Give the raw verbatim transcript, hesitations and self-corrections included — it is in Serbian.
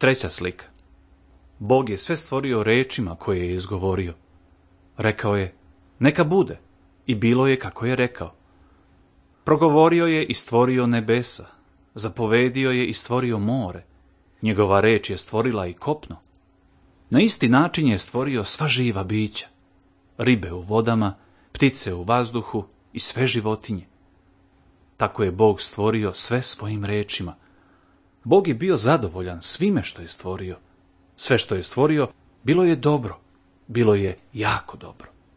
Treća slika. Bog je sve stvorio rečima koje je izgovorio. Rekao je, neka bude, i bilo je kako je rekao. Progovorio je i stvorio nebesa, zapovedio je i stvorio more, njegova reč je stvorila i kopno. Na isti način je stvorio sva živa bića, ribe u vodama, ptice u vazduhu i sve životinje. Tako je Bog stvorio sve svojim rečima. Bog je bio zadovoljan svime što je stvorio. Sve što je stvorio bilo je dobro, bilo je jako dobro.